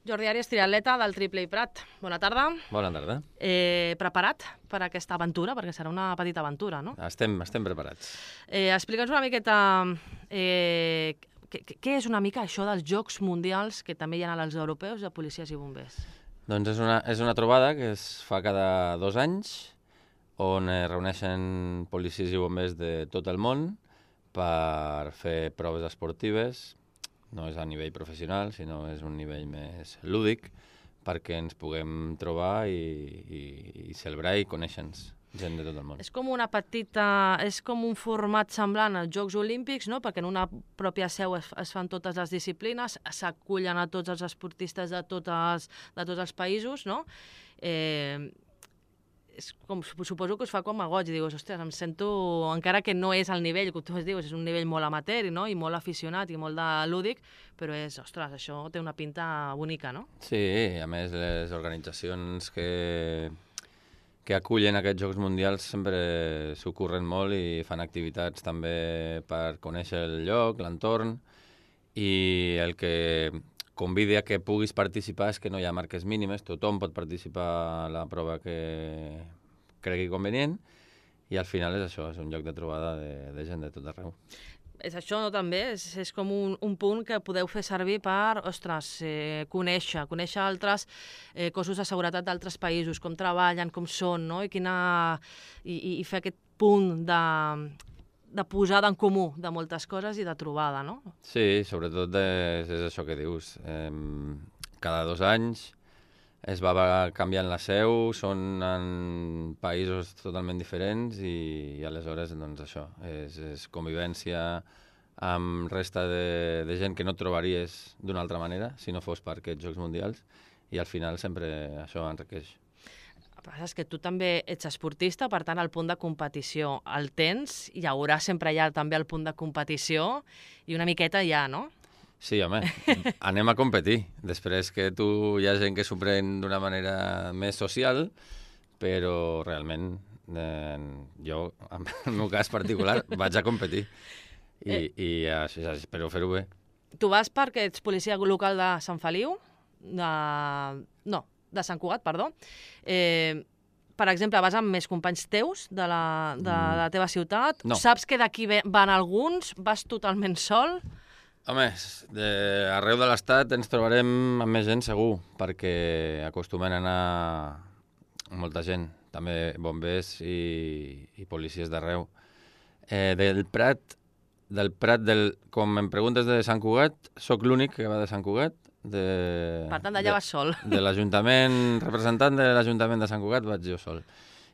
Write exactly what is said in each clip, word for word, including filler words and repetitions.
Jordi Arias, triatleta del Triple I Prat. Bona tarda. Bona tarda. Eh, preparat per aquesta aventura? Perquè serà una petita aventura, no? Estem, estem preparats. Eh, Explica'ns una miqueta eh, què és una mica això dels Jocs Mundials que també hi ha als europeus de policies i bombers. Doncs és una, és una trobada que es fa cada dos anys on es reuneixen policies i bombers de tot el món per fer proves esportives. No és a nivell professional, sinó és un nivell més lúdic, perquè ens puguem trobar i, i, i celebrar i conèixer-nos gent de tot el món. És com una petita... és com un format semblant als Jocs Olímpics, no? Perquè en una pròpia seu es, es fan totes les disciplines, s'acullen a tots els esportistes de, totes, de tots els països, no? Eh, és com, suposo que us fa com a goig, i dius, ostres, em sento, encara que no és el nivell, que tu es dius, és un nivell molt amateur, no? I molt aficionat i molt de lúdic, però és, ostres, això té una pinta bonica, no? Sí, a més les organitzacions que, que acullen aquests Jocs Mundials sempre s'ho curren molt i fan activitats també per conèixer el lloc, l'entorn, i el que convidi a que puguis participar és que no hi ha marques mínimes, tothom pot participar a la prova que cregui convenient, i al final és això, és un lloc de trobada de, de gent de tot arreu. És això, no, també, és, és com un, un punt que podeu fer servir per, ostres, eh, conèixer, conèixer altres eh, cossos de seguretat d'altres països, com treballen, com són, no? I, quina, i, i fer aquest punt de, de posada en comú de moltes coses i de trobada, no? Sí, sobretot és, és això que dius. Eh, cada dos anys es va canviant la seu, són en països totalment diferents i, i aleshores, doncs això, és, és convivència amb resta de, de gent que no et trobaries d'una altra manera si no fos per aquests Jocs Mundials, i al final sempre això enriqueix. El que passa és que tu també ets esportista, per tant, el punt de competició el tens, hi haurà sempre ja també el punt de competició, i una miqueta ja, no? Sí, home, anem a competir. Després que tu hi ha gent que s'ho pren d'una manera més social, però realment eh, jo, en el meu cas particular, vaig a competir. I, eh. i això, espero fer-ho bé. Tu vas perquè ets policia local de Sant Feliu, de... no, de Sant Cugat, perdó. Eh, per exemple, vas amb més companys teus de la, de mm. la teva ciutat? No. Saps que d'aquí van alguns? Vas totalment sol? Home, de, arreu de l'estat ens trobarem amb més gent segur, perquè acostumen a anar molta gent, també bombers i, i policies d'arreu. Eh, del Prat, del Prat del, com em preguntes de Sant Cugat, sóc l'únic que va de Sant Cugat. De, per tant, d'allà vas sol. De l'Ajuntament, representant de l'Ajuntament de Sant Cugat, vaig jo sol.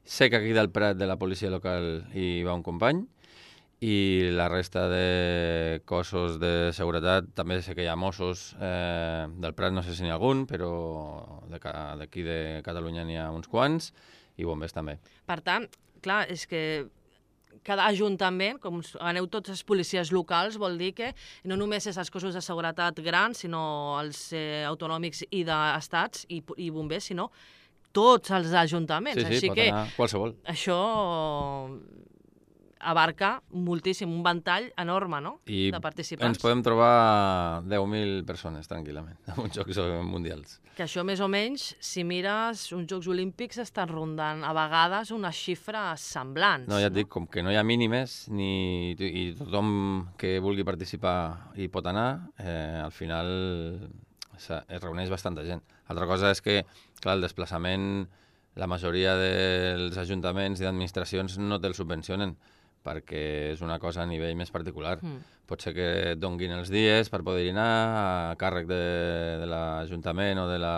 Sé que aquí del Prat, de la policia local, hi va un company, i la resta de cossos de seguretat, també sé que hi ha Mossos eh, del Prat, no sé si n'hi ha algun, però d'aquí de, de Catalunya n'hi ha uns quants, i bombers també. Per tant, clar, és que cada ajuntament, com aneu tots els policies locals, vol dir que no només és els cossos de seguretat grans, sinó els eh, autonòmics i d'estats i, i bombers, sinó tots els ajuntaments. Sí, sí, Així pot que anar qualsevol. Això abarca moltíssim, un ventall enorme, no?, I de participants. ens podem trobar deu mil persones, tranquil·lament, en uns Jocs Mundials. Que això, més o menys, si mires uns Jocs Olímpics, estan rondant a vegades unes xifres semblants. No, ja et dic, com que no hi ha mínimes, ni, i tothom que vulgui participar hi pot anar, eh, al final es reuneix bastanta gent. Altra cosa és que, clar, el desplaçament, la majoria dels ajuntaments i d'administracions no te'l subvencionen, perquè és una cosa a nivell més particular. Mm. Pot ser que et donguin els dies per poder anar a càrrec de, de l'Ajuntament o de la,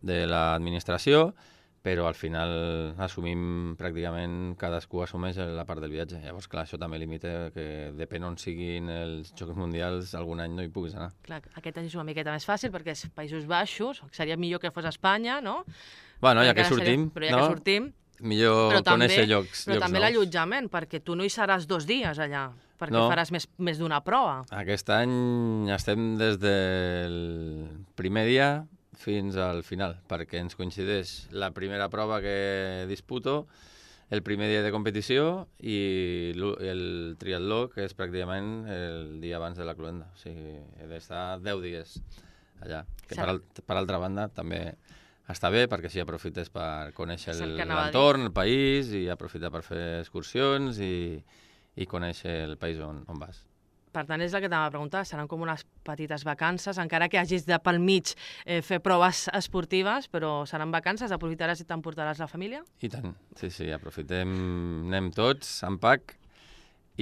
de l'administració, però al final assumim pràcticament, cadascú assumeix la part del viatge. Llavors, clar, això també limita que depèn on siguin els Jocs Mundials, algun any no hi puguis anar. Clar, aquest any és una miqueta més fàcil perquè és Països Baixos, seria millor que fos Espanya, no? Bueno, ja que sortim, seria, però ja no? que sortim, millor però conèixer també, llocs, però llocs també nous. L'allotjament, perquè tu no hi seràs dos dies allà, perquè no. faràs més, més d'una prova. Aquest any estem des del primer dia fins al final, perquè ens coincideix la primera prova que disputo, el primer dia de competició i el triatló, que és pràcticament el dia abans de la cloenda. O sigui, he d'estar deu dies allà. Que per, al, per altra banda també està bé, perquè així aprofites per conèixer l'entorn, el país, i aprofitar per fer excursions i, i conèixer el país on, on vas. Per tant, és el que t'anava a preguntar, seran com unes petites vacances, encara que hagis de pel mig eh, fer proves esportives, però seran vacances, aprofitaràs i t'emportaràs la família? I tant, sí, sí, aprofitem, anem tots en pack,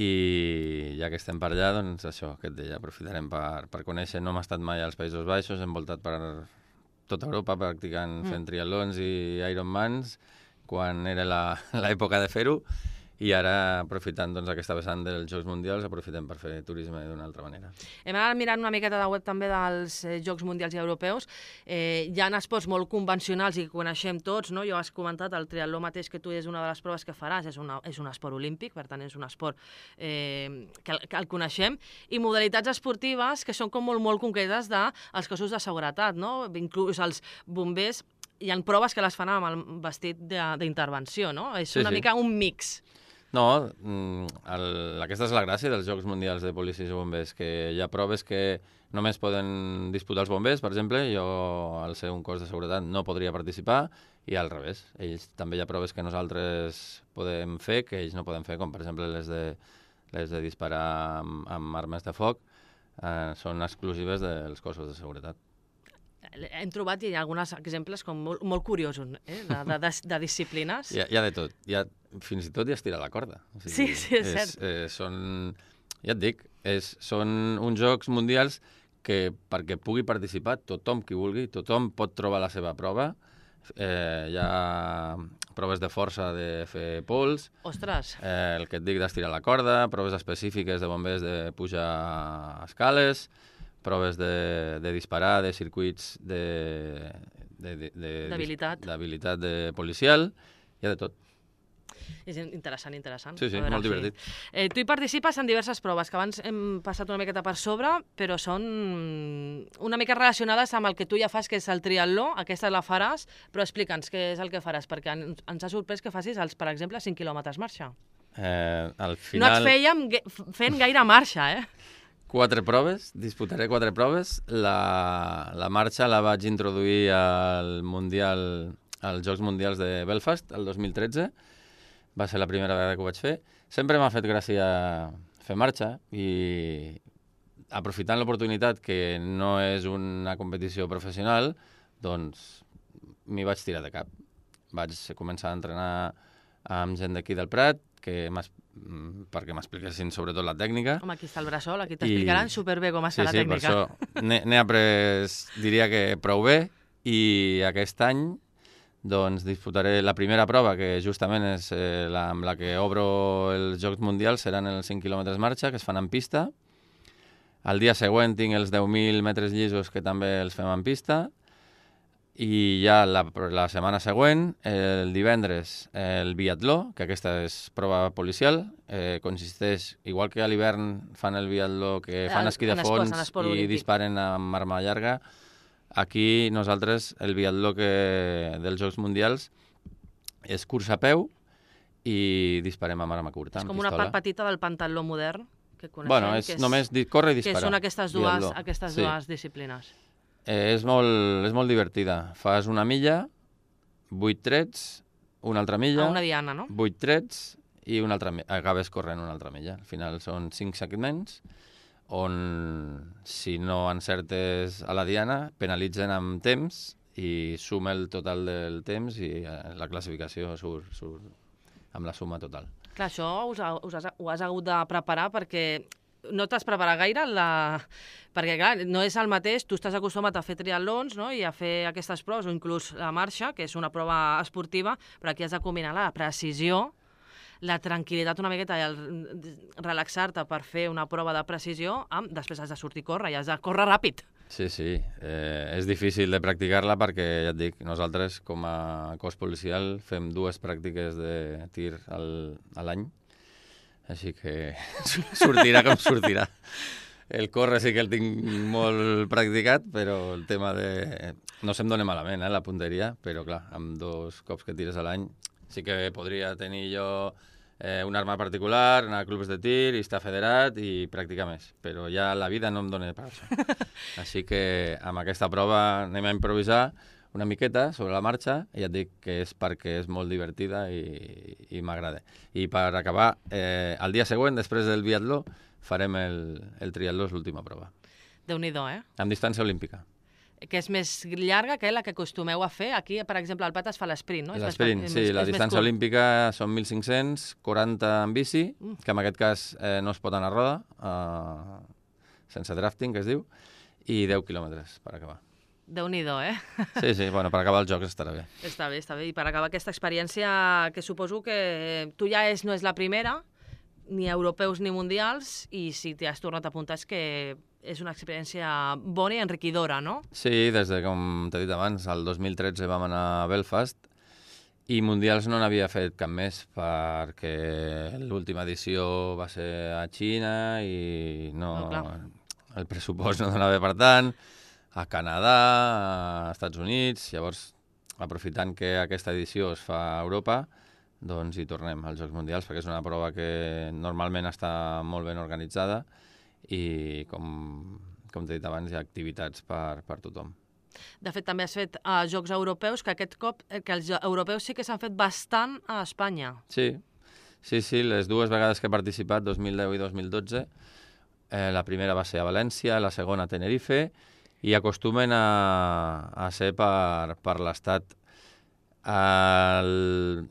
i ja que estem per allà, doncs això, que et deia, aprofitarem per, per conèixer. No hem estat mai als Països Baixos, hem voltat per tota Europa practicant, fent mm. triatlons i Ironmans, quan era l'època de fer-ho, i ara, aprofitant doncs, aquesta vessant dels Jocs Mundials, aprofitem per fer turisme d'una altra manera. Hem anat mirant una miqueta de web també dels eh, Jocs Mundials i Europeus. Eh, hi ha esports molt convencionals i que coneixem tots, no? Jo has comentat el triatló mateix, que tu és una de les proves que faràs, és, una, és un esport olímpic, per tant és un esport eh, que, que el coneixem, i modalitats esportives que són com molt, molt concretes dels cossos de seguretat, no? Inclús els bombers, hi ha proves que les fan amb el vestit d'intervenció, no? És sí, una sí. mica un mix. No, el, aquesta és la gràcia dels Jocs Mundials de Policies i Bombers, que hi ha proves que només poden disputar els bombers, per exemple. Jo, al ser un cos de seguretat, no podria participar, i al revés. Ells també hi ha proves que nosaltres podem fer, que ells no poden fer, com per exemple les de, les de disparar amb, amb armes de foc, eh, són exclusives dels cossos de seguretat. Hem trobat hi ha alguns exemples com molt, molt curiosos, eh? de, de, de, de disciplines. Hi ha, hi ha de tot. Hi ha, fins i tot hi ha estirar la corda. O sigui, sí, sí, és, és cert. Eh, són, ja et dic, és, són uns Jocs Mundials que perquè pugui participar tothom qui vulgui, tothom pot trobar la seva prova. Eh, hi ha proves de força de fer pols. Ostres! Eh, el que et dic d'estirar la corda, proves específiques de bombers de pujar escales, proves de, de disparar, de circuits d'habilitat de, de, de, de policial, hi ha de tot. És interessant, interessant. Sí, sí, molt divertit. Si... Eh, tu hi participes en diverses proves, que abans hem passat una miqueta per sobre, però són una mica relacionades amb el que tu ja fas, que és el triatló. Aquesta la faràs, però explica'ns què és el que faràs, perquè ens ha sorprès que facis, els, per exemple, cinc quilòmetres marxa. Eh, al final... No et fèiem fent gaire marxa, eh? Quatre proves, disputaré quatre proves. La, la marxa la vaig introduir al Mundial, als Jocs Mundials de Belfast, el dos mil tretze. Va ser la primera vegada que ho vaig fer. Sempre m'ha fet gràcia fer marxa i, aprofitant l'oportunitat que no és una competició professional, doncs m'hi vaig tirar de cap. Vaig començar a entrenar amb gent d'aquí del Prat, que perquè m'expliquessin sobretot la tècnica. Home, aquí està el Bressol, aquí t'explicaran I... superbé com està sí, la sí, tècnica. Sí, per això n'he après, diria que prou bé, i aquest any doncs disputaré la primera prova, que justament és eh, la, amb la que obro els Jocs Mundials, seran els cinc quilòmetres marxa, que es fan en pista. El dia següent tinc els deu mil metres llisos, que també els fem en pista. I ja la, la setmana següent, el divendres, el biatló, que aquesta és prova policial, eh, consisteix, igual que a l'hivern fan el biatló, que fan esquí de fons i olímpic. Disparen amb arma llarga, aquí nosaltres el biatló que, dels Jocs Mundials és cursa a peu i disparem amb arma curta. És com una part petita del pantaló modern que coneixem. Bueno, és, que és, només córrer i disparar. Que són aquestes dues, aquestes sí. dues disciplines. Eh, és, molt, és molt divertida. Fas una milla, vuit trets, una altra milla... A una diana, no? Vuit trets i una altra, acabes corrent una altra milla. Al final són cinc segments on, si no encertes a la diana, penalitzen amb temps i suma el total del temps i la classificació surt, surt amb la suma total. Clar, això us, us has, ho has hagut de preparar perquè... No t'has preparat gaire, la... perquè clar, no és el mateix, tu estàs acostumat a fer triatlons, no? I a fer aquestes proves, o inclús la marxa, que és una prova esportiva, però aquí has de combinar la precisió, la tranquil·litat una miqueta i el relaxar-te per fer una prova de precisió, amb... després has de sortir a córrer i has de córrer ràpid. Sí, sí, eh, és difícil de practicar-la perquè, ja et dic, nosaltres com a cos policial fem dues pràctiques de tir al, a l'any. Així que sortirà com sortirà. El córrer sí que el tinc molt practicat, però el tema de... No se'm dona malament, eh, la punteria, però clar, amb dos cops que tires a l'any sí que podria tenir jo eh, una arma particular, anar a clubs de tir i estar federat i practicar més. Però ja la vida no em dona per això. Així que amb aquesta prova anem a improvisar una miqueta sobre la marxa i ja et dic que és perquè és molt divertida i, i m'agrada. I per acabar, eh, el dia següent, després del biatló, farem el, el triatló, és l'última prova. Déu-n'hi-do, eh? Amb distància olímpica. Que és més llarga que la que acostumeu a fer. Aquí, per exemple, al Pat es fa l'esprint, no? L'esprint, sí, la distància olímpica són mil cinc-cents, quaranta en bici, que en aquest cas eh, no es pot anar a roda, eh, sense drafting, que es diu, i deu quilòmetres per acabar. Déu-n'hi-do, eh? Sí, sí, bueno, per acabar els jocs estarà bé. Està bé, està bé. I per acabar aquesta experiència, que suposo que tu ja és, no és la primera, ni europeus ni mundials, i si t'hi has tornat a apuntar és que és una experiència bona i enriquidora, no? Sí, des de, com t'he dit abans, el dos mil tretze vam anar a Belfast i mundials no n'havia fet cap més perquè l'última edició va ser a Xina i no, no el pressupost no donava per tant, a Canadà, a Estats Units, llavors aprofitant que aquesta edició es fa a Europa, doncs hi tornem als Jocs Mundials perquè és una prova que normalment està molt ben organitzada i com, com t'he dit abans hi ha activitats per, per tothom. De fet, també has fet uh, Jocs Europeus, que aquest cop que els europeus sí que s'han fet bastant a Espanya. Sí, sí, sí, les dues vegades que he participat, dos mil deu i dos mil dotze, eh, la primera va ser a València, la segona a Tenerife, i acostumen a, a ser per, per l'estat. El...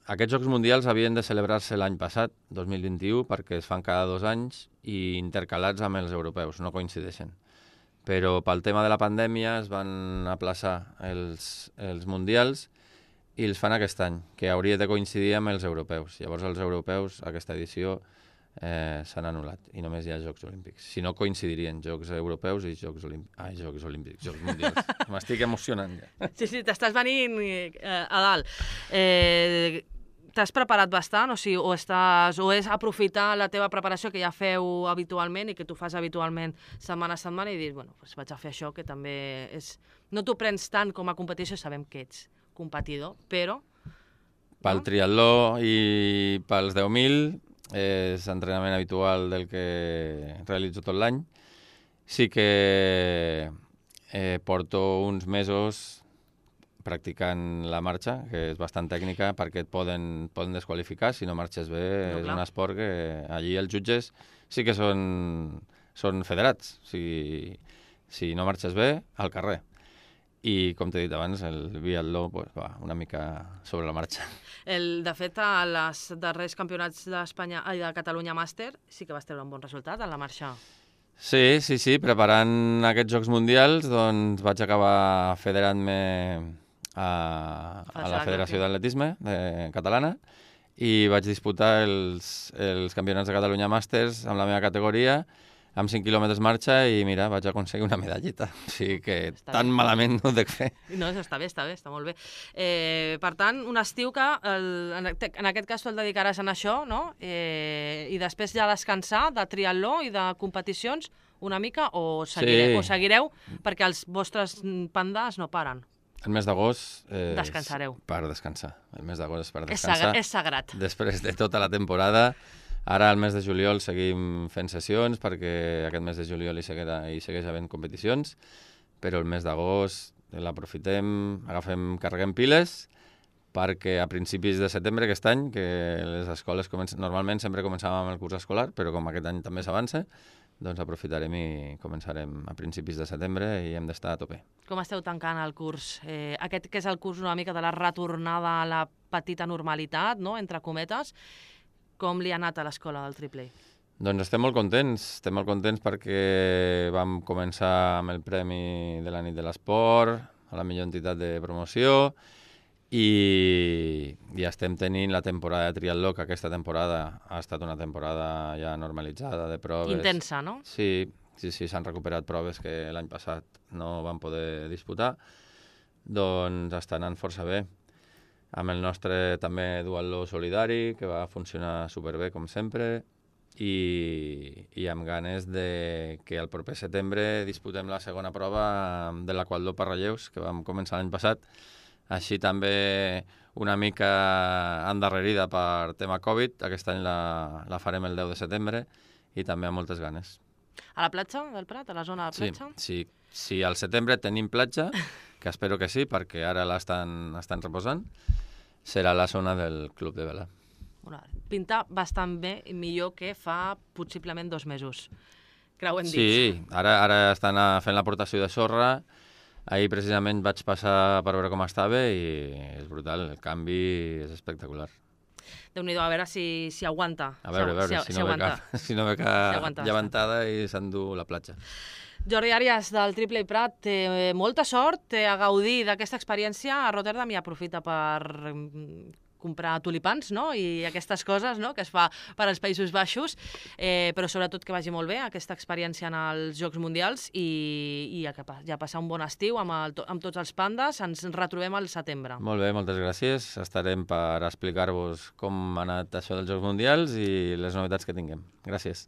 Aquests Jocs Mundials havien de celebrar-se l'any passat, dos mil vint-i-u, perquè es fan cada dos anys i intercalats amb els europeus, no coincideixen. Però pel tema de la pandèmia es van aplaçar els, els mundials i els fan aquest any, que hauria de coincidir amb els europeus. Llavors els europeus, aquesta edició, eh, s'han anul·lat i només hi ha Jocs Olímpics. Si no, coincidirien Jocs Europeus i Jocs Olímpics. Ai, Jocs Olímpics, Jocs Mundials. M'estic emocionant ja. Sí, sí, t'estàs venint eh, a dalt. Eh... T'has preparat bastant? O sigui, o, estàs, o és aprofitar la teva preparació que ja feu habitualment i que tu fas habitualment setmana a setmana i dir, bueno, doncs vaig a fer això, que també és... No t'ho prens tant com a competició, sabem que ets competidor, però... Pel no? Triatló i pels deu mil és entrenament habitual del que realitzo tot l'any. Sí que eh, porto uns mesos practicant la marxa, que és bastant tècnica perquè et poden, poden desqualificar si no marxes bé. No, és clar. Un esport que allí els jutges sí que són, són federats. Si, si no marxes bé, al carrer. I, com t'he dit abans, el biatló pues, va una mica sobre la marxa. El, de fet, a les darrers campionats d'Espanya i de Catalunya Màster sí que vas treure un bon resultat en la marxa. Sí, sí, sí. Preparant aquests Jocs Mundials doncs vaig acabar federant-me a, a la Federació d'Atletisme catalana i vaig disputar els, els campionats de Catalunya Màsters amb la meva categoria, amb cinc quilòmetres marxa i mira, vaig aconseguir una medalleta. O sigui que està tan bé. Malament no ho dec fer. No, està bé, està bé, està molt bé. Eh, per tant, un estiu que el, en aquest cas tu el dedicaràs a això, no? Eh, I després ja descansar de triatló i de competicions una mica o seguireu, sí. o seguireu perquè els vostres pandars no paren. El mes d'agost és descansareu. Per descansar. El mes d'agost és per descansar. És sagrat. Després de tota la temporada. Ara, al mes de juliol, seguim fent sessions perquè aquest mes de juliol hi, seguirà, hi segueix havent competicions, però el mes d'agost l'aprofitem, agafem, carreguem piles perquè a principis de setembre aquest any, que les escoles comencen, normalment sempre començàvem amb el curs escolar, però com aquest any també s'avança, doncs aprofitarem i començarem a principis de setembre i hem d'estar a tope. Com esteu tancant el curs? Eh, aquest que és el curs una mica de la retornada a la petita normalitat, no?, entre cometes, com li ha anat a l'escola del Triple A? Doncs estem molt contents, estem molt contents perquè vam començar amb el Premi de la Nit de l'Esport, a la millor entitat de promoció, i ja estem tenint la temporada de triatló, que aquesta temporada ha estat una temporada ja normalitzada de proves. Intensa, no? Sí, sí, sí, s'han recuperat proves que l'any passat no van poder disputar, doncs està anant força bé. Amb el nostre també duatló solidari, que va funcionar superbé com sempre, i, i amb ganes de que el proper setembre disputem la segona prova de l'aquatló per relleus, que vam començar l'any passat. Així també una mica endarrerida per tema Covid. Aquest any la, la farem el deu de setembre i també amb moltes ganes. A la platja del Prat, a la zona de la platja? Sí, sí. Si al setembre tenim platja, que espero que sí, perquè ara l'estan estan reposant, serà la zona del Club de Vela. Bueno, pinta bastant bé i millor que fa possiblement dos mesos. Creuem dits. Sí, ara, ara estan fent l'aportació de sorra. Ahir precisament vaig passar per veure com estava i és brutal, el canvi és espectacular. Déu-n'hi-do, a veure si, si aguanta. A veure, a veure, si, si, si, no, ve cap, si no ve cap si llevantada i s'endú la platja. Jordi Àrias, del Triple Prat, té molta sort, té a gaudir d'aquesta experiència a Rotterdam i aprofita per comprar tulipans, no?, i aquestes coses, no?, que es fa per als Països Baixos, eh, però sobretot que vagi molt bé aquesta experiència en els Jocs Mundials i, i ja, ja passar un bon estiu amb, el, amb tots els pandes. Ens retrobem al setembre. Molt bé, moltes gràcies. Estarem per explicar-vos com ha anat això dels Jocs Mundials i les novetats que tinguem. Gràcies.